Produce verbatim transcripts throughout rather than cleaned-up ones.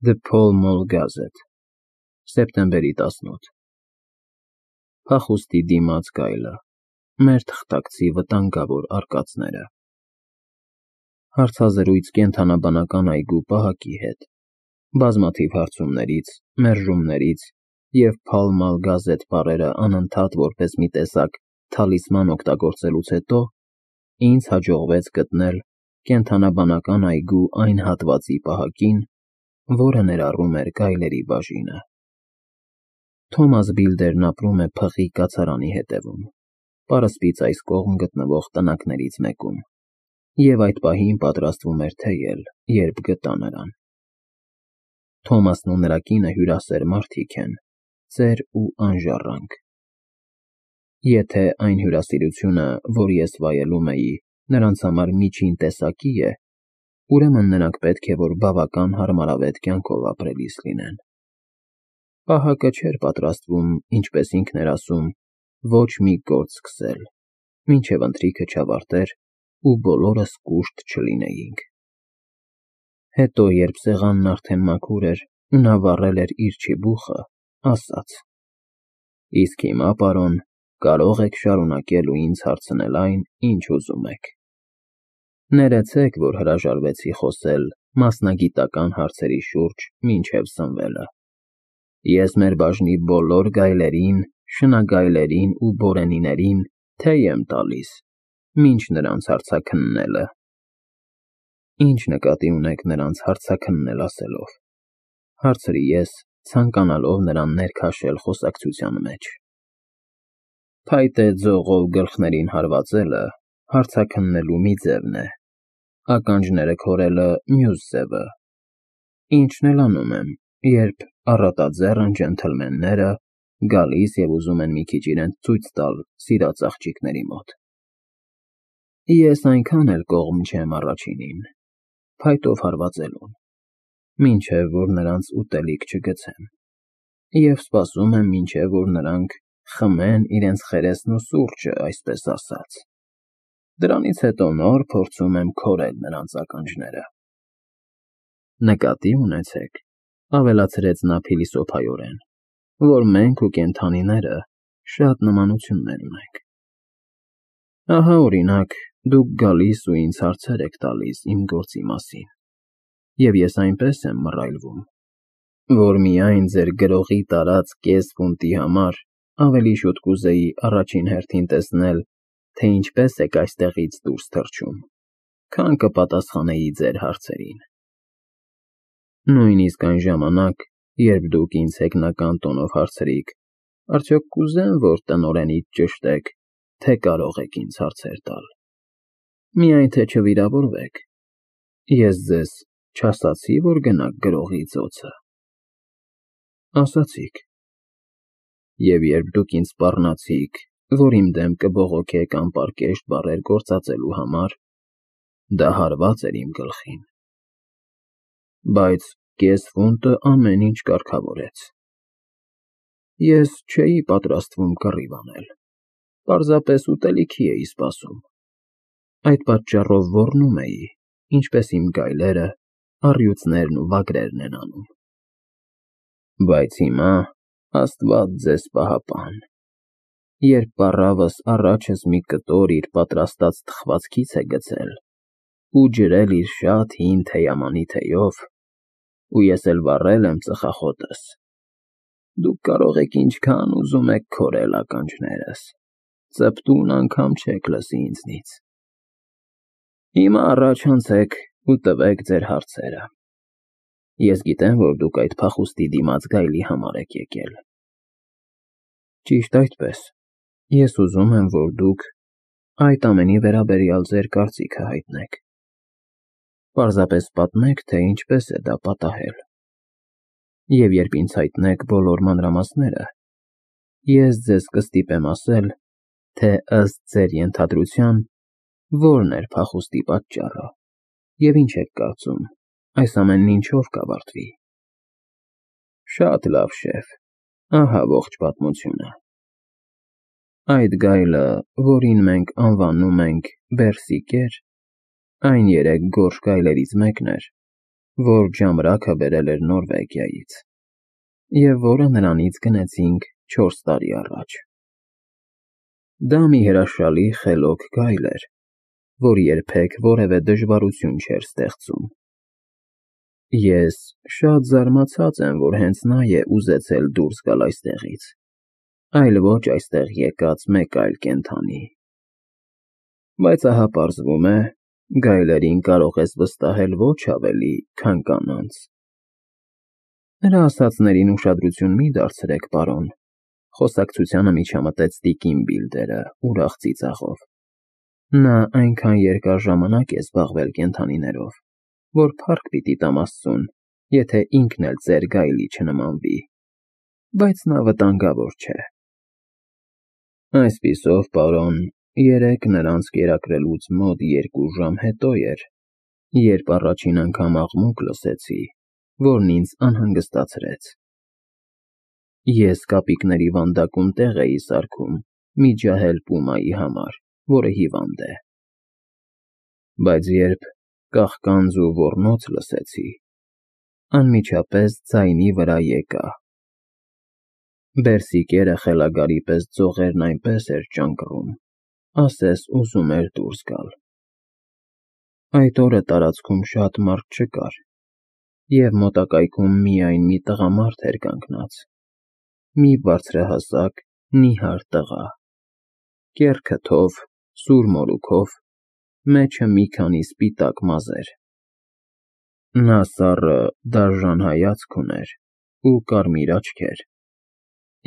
The Pall Mall Gazette, սեպտեմբերի տասնութ Փախուստի դիմաց գայլը, մեր թղթակցի վտանգավոր արկածները։ Հարցազրույց կենդանաբանական այգու պահակի հետ, բազմաթիվ հարցումներից, մերժումներից և Pall Mall Gazette բառերը անընդհատ որպես մի տեսակ թալիսման օգտագործելուց հետո ինձ հաջողվեց գտնել կենդանաբանական այգու այն հատվածի պահակին, որը ներառում էր գայլերի բաժինը։ Թոմաս Բիլդերն ապրում է փղի կացարանի հետևում, պարսպից այս կողմ գտնվող տնակներից մեկում, և այդ պահին պատրաստվում էր թեյել, երբ գտա նրան։ Թոմասն ու նրա կինը հյուրասեր մարդիկ են, ծեր ու անժառանգ։ Եթե այն հյուրասիրությունը, որ ես վայելում էի, նրանց համար միջին տեսակի է, ուրեմն նրանք պետք է որ բավական հարմարավետ կյանքով ապրելիս լինեն։ Պահակը չէր պատրաստվում, ինչպես ինքն էր ասում, ոչ մի գործ սկսել, մինչև ընթրիքը չավարտեր ու բոլորս կուշտ չլինեինք։ Հետո, երբ սեղանն արդեն մաքուր էր ու նա վառել էր իր չիբուխը, ասաց. «Իսկ հիմա, պարոն, կարող եք շարունակել ու ինձ հարցնել այն, ինչ ուզում եք»։ Ներեցեք, որ հրաժարվեցի խոսել մասնագիտական հարցերի շուրջ մինչև սնվելը։ Ես մեր բաժնի բոլոր գայլերին, շնագայլերին ու բորենիներին թեյ եմ տալիս, մինչ նրանց հարցաքննելը։ Ինչ նկատի ունեք նրանց հարցաքննել ասելով, հարցրի ես, ցանկանալով նրան ներքաշել խոսակցության մեջ։ Փայտե ձողով գլխներին հարվածելը հարցաքննելու մի ձևն է, ականջները քորելը մյուս ձևը։ Ինչն էլ անում եմ, երբ առատաձեռն ջենթլմենները գալիս և ուզում են մի քիչ իրենց ցույց տալ սիրած աղջիկների մոտ։ Ես այնքան էլ կողմ չեմ առաջինին, փայտով հարվածելուն, մինչև որ նրանց ուտելիք չգցեմ, և սպասում եմ, մինչև որ նրանք խմեն իրենց խերեսն ու սուրճը, այսպես ասած։ Դրանից հետո նոր փորձում եմ քորել նրանց ականջները։ Նկատի ունեցեք, ավելացրեց նա փիլիսոփայորեն, որ մենք ու կենդանիները շատ նմանություններ ունենք։ Ահա, օրինակ, դուք գալիս ու ինձ հարցեր եք տալիս իմ գործի մասին, և ես այնպես եմ մռայլվում, որ միայն ձեր գրողի տարած կես ֆունտի համար ավելի շուտ կուզեի առաջին հերթին տեսնել, թե ինչպես եք այստեղից դուրս թռչում, քան կպատասխանեի ձեր հարցերին։ Նույնիսկ այն ժամանակ, երբ դուք ինձ հեգնական տոնով հարցրիք, արդյոք կուզեմ, որ տնօրենիդ ճշտեք, թե կարող եք ինձ հարցեր տալ, միայն թե չվիրավորվեք, ես ձեզ չասացի՞, որ գնաք գրողի ծոցը։ Ասացիք։ Եվ երբ դուք ինձ սպառնացիք, որ իմ դեմ կբողոքեք անպարկեշտ բառեր գործածելու համար, դա հարված էր իմ գլխին։ Բայց կես ֆունտը ամեն ինչ կարգավորեց։ Ես չէի պատրաստվում կռիվ անել, պարզապես ուտելիքի էի սպասում։ Այդ պատճառով ոռնում էի, ինչպես իմ գայլերը, առյուծներն ու վագրերն են անում։ Բայց հիմա, Աստված ձեզ պահապան, երբ պառավս առաջս մի կտոր իր պատրաստած թխվածքից է գցել ու ջրել իր շատ հին թեյամանի թեյով, ու ես էլ վառել եմ ծխախոտս, դուք կարող եք ինչքան ուզում եք քորել ականջներս, ծպտուն անգամ չեք լսի ինձնից։ Հիմա առաջ անցեք ու տվեք ձեր հարցերը։ Ես գիտեմ, որ դուք այդ փախուստի դիմաց գայլի համար եք եկել։ Ճիշտ այդպես, ես ուզում եմ, որ դուք այդ ամենի վերաբերյալ ձեր կարծիքը հայտնեք։ Պարզապես պատմեք, թե ինչպես է դա պատահել։ Եվ երբ ինձ հայտնեք բոլոր մանրամասները, ես ձեզ կստիպեմ ասել, թե ըստ ձեր ենթադրության, որն էր փախուստի պատճառը, և ինչ եք կարծում, այս ամենն ինչով կավարտվի։ Շատ լավ, շեֆ, ահա ողջ պատմությունը։ Այդ գայլը, որին մենք անվանում ենք Բերսիկեր, այն երեք գորշ գայլերից մեկն էր, որ ժամրակը բերել էր Նորվեգիայից, և որը նրանից գնեցինք չորս տարի առաջ։ Դա մի հրաշալի խելոք գայլ էր, որ երբեք որևէ դժվարություն չէր ստեղծում։ Ես շատ զարմացած եմ, որ հենց նա է ուզեցել դուրս գալ այստեղից, այլ ոչ այստեղ եկած մեկ այլ կենդանի։ Բայց ահա պարզվում է, գայլերին կարող ես վստահել ոչ ավելի, քան կանանց։ Նրա ասածներին ուշադրություն մի դարձրեք, պարոն, խոսակցությանը միջամտեց տիկին Բիլդերը ուրախ ծիծաղով։ Նա այնքան երկար ժամանակ է զբաղվել կենդանիներով, որ փառք պիտի տամ Աստծուն, եթե ինքն էլ ծեր գայլի չնմանվի, բայց նա վտանգավոր չէ։ Այսպիսով, պարոն, երեկ նրանց կերակրելուց մոտ երկու ժամ հետո էր, երբ առաջին անգամ աղմուկ լսեցի, որն ինձ անհանգստացրեց։ Ես կապիկների վանդակում տեղ էի սարքում մի ջահել պումայի համար, որը հիվանդ է։ Բայց երբ կաղկանձ ու ոռնոց լսեցի, անմիջապես ձայնի վրա եկա։ Բերսիկերը խելագարի պես ձողերն այնպես էր ճանկռում, ասես ուզում էր դուրս գալ։ Այդ օրը տարածքում շատ մարդ չկար, և մոտակայքում միայն մի տղամարդ էր կանգնած, մի բարձրահասակ, նիհար տղա, կեռ քթով, սուր մորուքով, մեջը մի քանի սպիտակ մազեր։ Նա սառը, դաժան հայացք ուներ ու կարմիր աչքեր,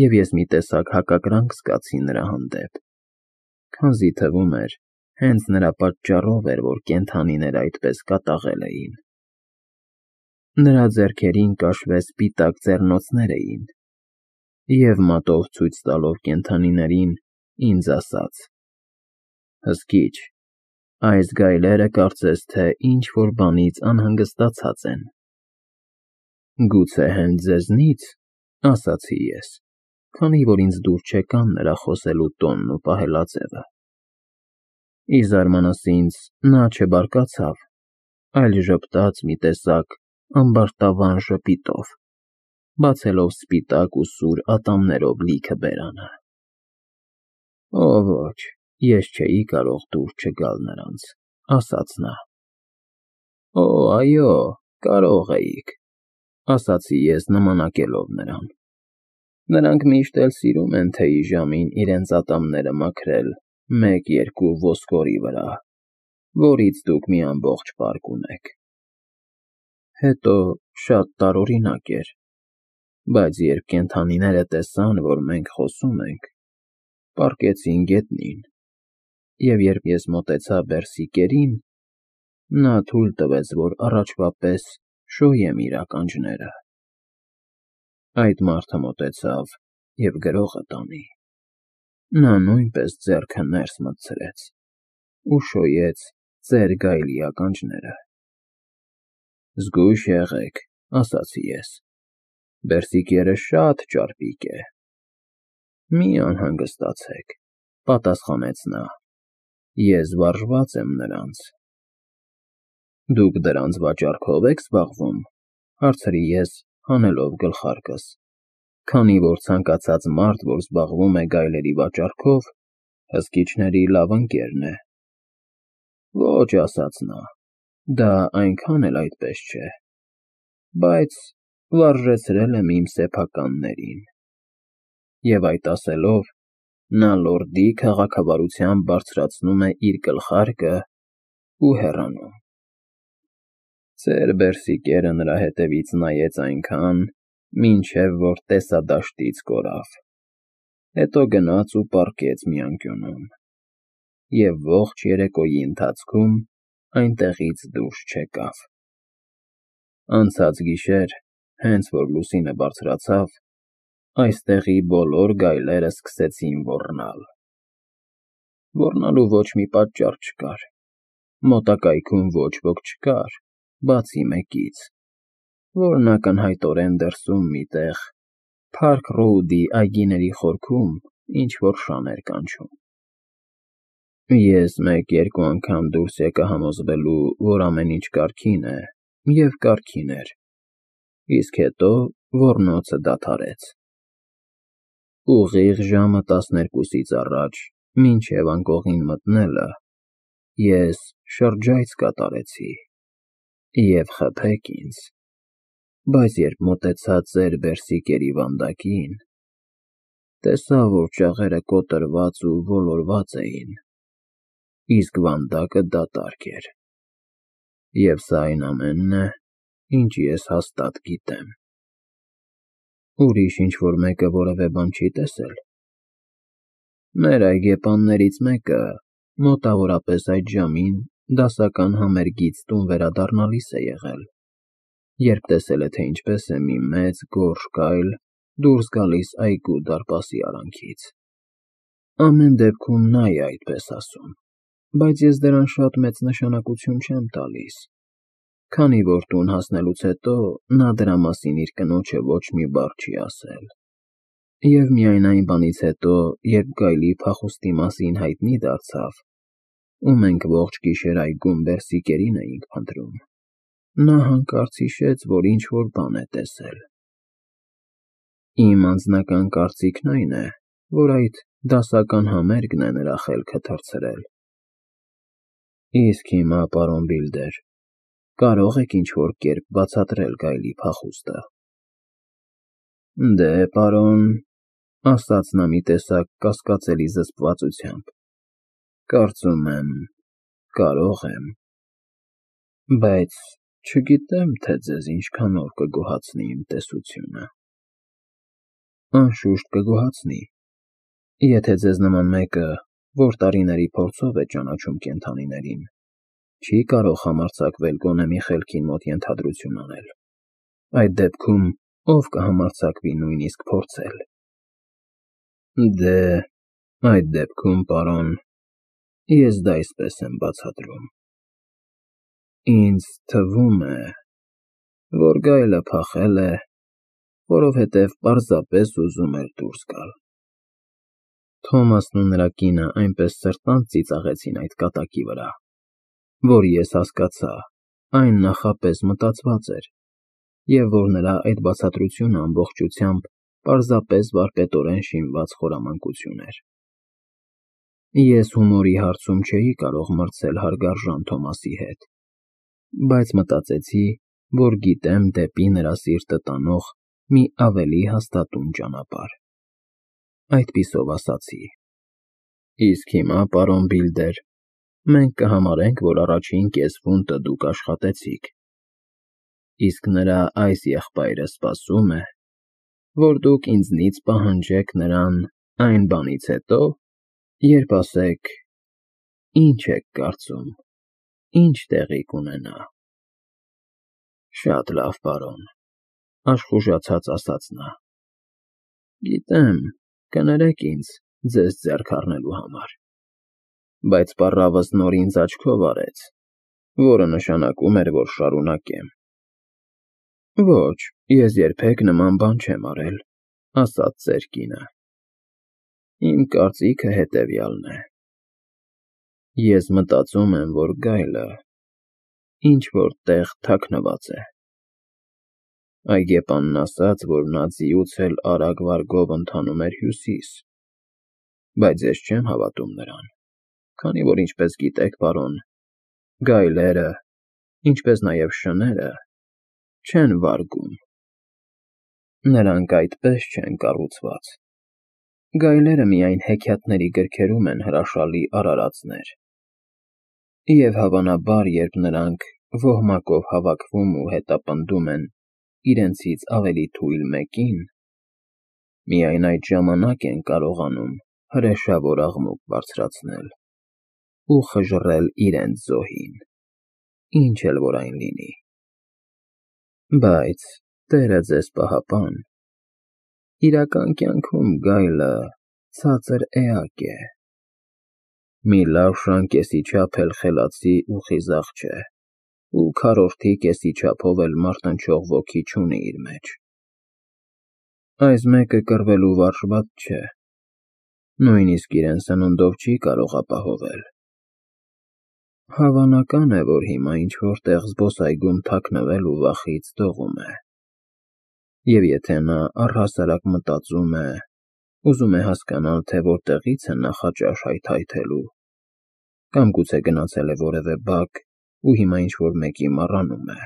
և ես մի տեսակ հակակրանք զգացի նրա հանդեպ, քանզի թվում էր, հենց նրա պատճառով էր, որ կենդանիները այդպես կատաղել էին։ Նրա ձեռքերին կաշվե սպիտակ ձեռնոցներ էին, և մատով ցույց տալով կենդանիներին, ինձ ասաց. «Հսկիչ, այս գայլերը կարծես թե ինչ֊որ բանից անհանգստացած են»։ «Գուցե հենց ձեզնի՞ց», ասացի ես, քանի որ ինձ դուր չեկան նրա խոսելու տոնն ու պահելաձևը։ Ի զարմանս ինձ, նա չբարկացավ, այլ ժպտաց մի տեսակ ամբարտավան ժպիտով, բացելով սպիտակ ու սուր ատամներով լիքը բերանը։ «Օ ոչ, ես չէի կարող դուր չգալ նրանց», ասաց նա։ «Օ, այո, կարող էիք», ասացի ես նմանակելով նրան։ «Նրանք միշտ էլ սիրում են թեյի ժամին իրենց ատամները մաքրել մեկ֊երկու ոսկորի վրա, որից դուք մի ամբողջ պարկ ունեք»։ Հետո շատ տարօրինակ էր, բայց երբ կենդանիները տեսան, որ մենք խոսում ենք, պառկեցին գետնին, և երբ ես մոտեցա Բերսիկերին, նա թույլ տվեց, որ առաջվա պես շոյեմ իր ականջները։ Այդ մարդը մոտեցավ և գրողը տանի։ Նա նույնպես ձեռքը ներս մտցրեց ու շոյեց ծեր գայլի ականջները։ «Զգույշ եղեք», ասացի ես, «Բերսիկերը շատ ճարպիկ է»։ «Մի անհանգստացեք», պատասխանեց նա, «ես վարժված եմ նրանց»։ «Դուք դրանց վաճառքո՞վ եք զբաղվում», հարցրի ես, հանելով գլխարկս, քանի որ ցանկացած մարդ, որ զբաղվում է գայլերի վաճառքով, հսկիչների լավ ընկերն է։ «Ոչ», ասաց նա, «դա այնքան էլ այդպես չէ, բայց վարժեցրել եմ իմ սեփականներին»։ Եվ այդ ասելով, նա լորդի քաղաքավարությամբ բարձրացնում է իր գլխարկը ու հեռանում։ Ծեր Բերսիկերը նրա հետևից նայեց այնքան, մինչև որ տեսադաշտից կորավ, հետո գնաց ու պառկեց մի անկյունում, և ողջ երեկոյի ընթացքում այնտեղից դուրս չեկավ։ Անցած գիշեր, հենց որ լուսինը բարձրացավ, այստեղի բոլոր գայլերը սկսեցին ոռնալ։ Ոռնալու ոչ մի պատճառ չկար, մոտակայքում ոչ ոք չկար, բացի մեկից, որն ակնհայտորեն դրսում մի տեղ, Փարք Ռոուդի այգիների խորքում ինչ֊որ շան էր կանչում։ Ես մեկ֊երկու անգամ դուրս եկա համոզվելու, որ ամեն ինչ կարգին է, և կարգին էր, իսկ հետո ոռնոցը դադարեց։ Ուղիղ ժամը տասներկուսից առաջ, մինչև անկողին մտնելը, ես շրջայց կատարեցի, և խփեք ինձ, բայց երբ մոտեցա ձեր բերսիկերի վանդակին, տեսա, որ ճաղերը կոտրված ու ոլորված էին, իսկ վանդակը դատարկ էր, և սա այն ամենն է, ինչ ես հաստատ գիտեմ։ Ուրիշ ինչ-որ մեկը որևէ բան չի տեսե՞լ։ Մեր այգեպաններից մեկը մոտավորապես այդ ժամին դասական համերգից տուն վերադառնալիս է եղել, երբ տեսել է, թե ինչպես է մի մեծ գորշ գայլ դուրս գալիս այգու դարպասի արանքից։ Ամեն դեպքում նա է այդպես ասում, բայց ես դրան շատ մեծ նշանակություն չեմ տալիս, քանի որ տուն հասնելուց հետո նա դրա մասին իր կնոջը ոչ մի բառ չի ասել, և միայն այն բանից հետո, երբ գայլի փախուստի մասին հայտնի դարձավ, ու մենք ողջ գիշեր այգում բերսիկերին էինք փնտրում, նա հանկարծ հիշեց, որ ինչ-որ բան է տեսել։ Իմ անձնական կարծիքն այն է, որ այդ դասական համերգն է նրա խելքը թռցրել։ Իսկ հիմա, պարոն Բիլդեր, կարո՞ղ եք ինչ-որ կերպ բացատրել գայլի փախուստը։ Դե, պարոն, ասաց նա մի տեսակ կասկածելի զսպվածությամբ, կարծում եմ, կարող եմ, բայց չգիտեմ, թե ձեզ ինչքանով կգոհացնի իմ տեսությունը։ Անշուշտ կգոհացնի, եթե ձեզ նման մեկը, որ տարիների փորձով է ճանաչում կենդանիներին, չի կարող համարձակվել գոնե մի խելքին մոտ ենթադրություն անել, այդ դեպքում ով կհամարձակվի նույնիսկ փորձել։ Դե, այդ դեպքում, պարոն, ես դա այսպես եմ բացատրում. ինձ թվում է, որ գայլը փախել է, որովհետև պարզապես ուզում էր դուրս գալ։ Թոմասն ու նրա կինը այնպես սրտանց ծիծաղեցին այդ կատակի վրա, որ ես հասկացա, այն նախապես մտածված էր, և որ նրա այդ բացատրությունը ամբողջությամբ պարզապես վարպետորեն շինված խորամանկություն էր։ Ես հումորի հարցում չէի կարող մրցել հարգարժան Թոմասի հետ, բայց մտածեցի, որ գիտեմ դեպի նրա սիրտը տանող մի ավելի հաստատուն ճանապարհ։ Այդպիսով ասացի. Իսկ հիմա, պարոն Բիլդեր, մենք կհամարենք, որ առաջին կեսֆունտը դուք աշխատեցիք, իսկ նրա այս եղբայրը սպասում է, որ դուք ինձնից պահանջեք նրան այն բանից հետո, երբ ասեք, ի՞նչ եք կարծում, ի՞նչ տեղի կունենա։ Շատ լավ, պարոն, աշխուժացած ասաց նա, գիտեմ, կներեք ինձ ձեզ ձեռք առնելու համար, բայց պառավս նոր ինձ աչքով արեց, որը նշանակում էր, որ շարունակեմ։ Ոչ, ես երբեք նման բան չեմ արել, ասաց ձեր կինը։ Իմ կարծիքը հետևյալն է. ես մտածում եմ, որ գայլը ինչ-որ տեղ թաքնված է։ Այգեպանն ասաց, որ նա ձիուց էլ արագ վարգով ընթանում էր հյուսիս, բայց ես չեմ հավատում նրան, քանի որ, ինչպես գիտեք, պարոն, գայլերը, ինչպես նաև շները, չեն վարգում։ Նրանք այդպես չեն կառուցված։ Գայլերը միայն հեքիաթների գրքերում են հրաշալի արարածներ, և հավանաբար, երբ նրանք ոհմակով հավաքվում ու հետապնդում են իրենցից ավելի թույլ մեկին, միայն այդ ժամանակ են կարողանում հրեշավոր աղմուկ բարձրացնել ու խժռել իրենց զոհին, ինչ էլ որ այն լինի։ Բայց, Տերը ձեզ պահապան, իրական կյանքում գայլը ցածր էակ է, մի լավ շան կեսի չափ էլ խելացի ու խիզախ չէ, ու քառորդի կեսի չափով էլ մարտնչող ոգի չունի իր մեջ։ Այս մեկը կռվելու վարժված չէ, նույնիսկ իրեն սնունդով չի կարող ապահովել։ Հավանական է, որ հիմա ինչ-որտեղ զբոսայգում թաքնվել ու վախից դողում է։ Եվ եթե նա առհասարակ մտածում է, ուզում է հասկանալ, թե որտեղից է նախաճաշ հայթայթելու, կամ գուցե գնացել է որևէ բակ ու հիմա ինչ-որ մեկի մառանում է,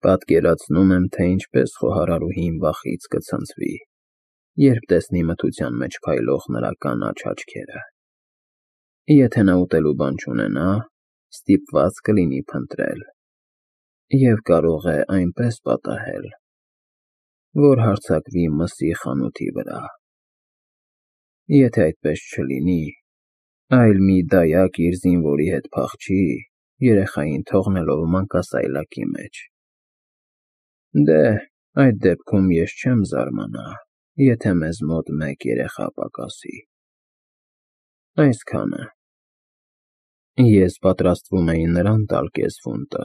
պատկերացնում եմ, թե ինչպես խոհարարուհին վախից կցնցվի, երբ տեսնի մթության մեջ փայլող նրա կանաչ աչքերը։ Եթե նա ուտելու բան չունենա, ստիպված կլինի փնտրել և կարող է այնպես պատահել, որ հարձակվի մսի խանութի վրա։ Եթե այդպես չլինի, այլ մի դայակ իր զինվորի հետ փախչի, երեխային թողնելով մանկասայլակի մեջ, դե, այդ դեպքում ես չեմ զարմանա, եթե մեզ մոտ մեկ երեխա պակասի։ Այսքանը։ Ես պատրաստվում էի նրան տալ կես ֆունտը,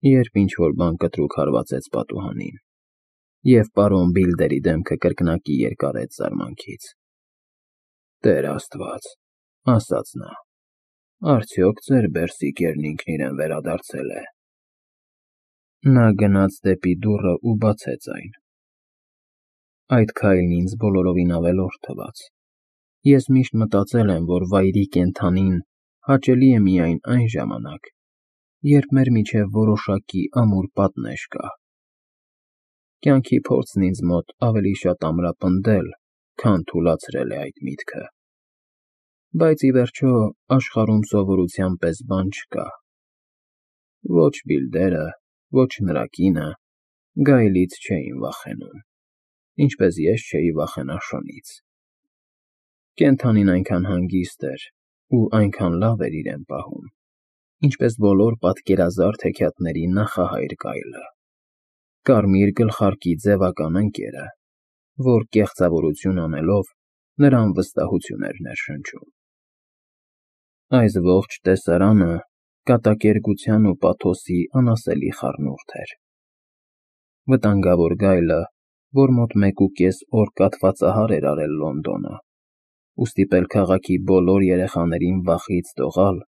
երբ ինչ-որ բան կտրուկ հարվածեց պատուհանին, և պարոն Բիլդերի դեմքը կրկնակի երկարեց զարմանքից։ «Տեր Աստված», ասաց նա, «արդյոք ձեր բերսիկերն ինքն իրեն վերադարձել է»։ Նա գնաց դեպի դուռը ու բացեց այն։ Այդ քայլն ինձ բոլորովին ավելորդ թվաց։ Ես միշտ մտածել եմ, որ վայրի կենդանին հաճելի է միայն այն ժամանակ, երբ մեր միջև որոշակի ամուր պատնեշ կա։ Կյանքի փորձն ինձ մոտ ավելի շատ ամրապնդել, քան թուլացրել է այդ միտքը։ Բայց, ի վերջո, աշխարհում սովորության պես բան չկա։ Ոչ Բիլդերը, ոչ նրա կինը գայլից չէին վախենում, ինչպես ես չէի վախենա շունից։ Կենդանին այնքան հանգիստ էր ու այնքան լավ էր իրեն պահում, ինչպես բոլոր պատկերազարդ հեքիաթների նախահայր գայլը, կարմիր գլխարկի ձևական ընկերը, որ կեղծավորություն անելով նրան վստահություն էր ներշնչում։ Այս ողջ տեսարանը կատակերգության ու պաթոսի անասելի խառնուրդ էր։ Վտանգավոր գայլը, որ մոտ մեկուկես օր կաթվածահար էր արել Լոնդոնը ու ստիպել քաղաքի բոլոր երեխաներին վախից դողալ,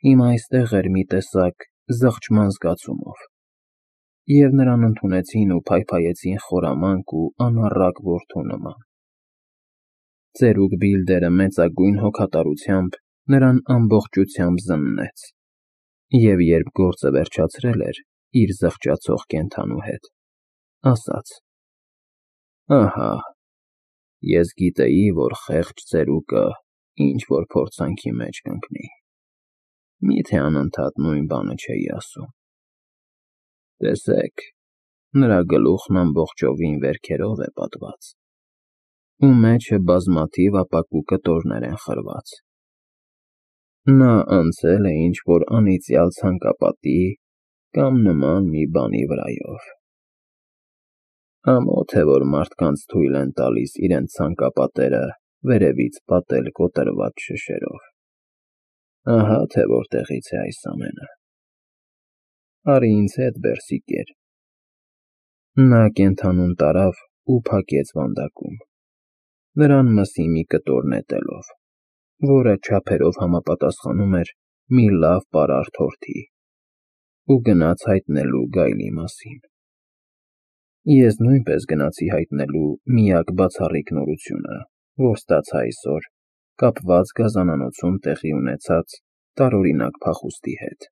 հիմա այստեղ էր մի տեսակ զղջման զգացումով, և նրան ընդունեցին ու փայփայեցին խորամանկ ու անառակ որդու նման։ Ծերուկ Բիլդերը մեծագույն հոգատարությամբ նրան ամբողջությամբ զննեց, և երբ գործը վերջացրել էր իր զղջացող կենդանու հետ, ասաց. «Ահա, ես գիտեի, որ խեղճ ծերուկը ինչ֊որ փորձանքի մեջ կընկնի, մի՞թե անընդհատ նույն բանը չէի ասում։ Տեսեք, նրա գլուխն ամբողջովին վերքերով է պատված, ու մեջը բազմաթիվ ապակու կտորներ են խրված։ Նա անցել է ինչ-որ անիծյալ ցանկապատի կամ նման մի բանի վրայով։ Ամոթ է, որ մարդկանց թույլ են տալիս իրենց ցանկապատերը վերևից պատել կոտրված շշերով։ Ահա թե որտեղից է այս ամենը։ Արի ինձ հետ, բերսիկեր»։ Նա կենդանուն տարավ ու փակեց վանդակում, նրան մսի մի կտոր նետելով, որը չափերով համապատասխանում էր մի լավ պարարտ հորթի, ու գնաց հայտնելու գայլի մասին։ Ես նույնպես գնացի հայտնելու միակ բացառիկ նորությունը, որ ստացա այսօր կապված գազանանոցում տեղի ունեցած տարօրինակ փախուստի հետ։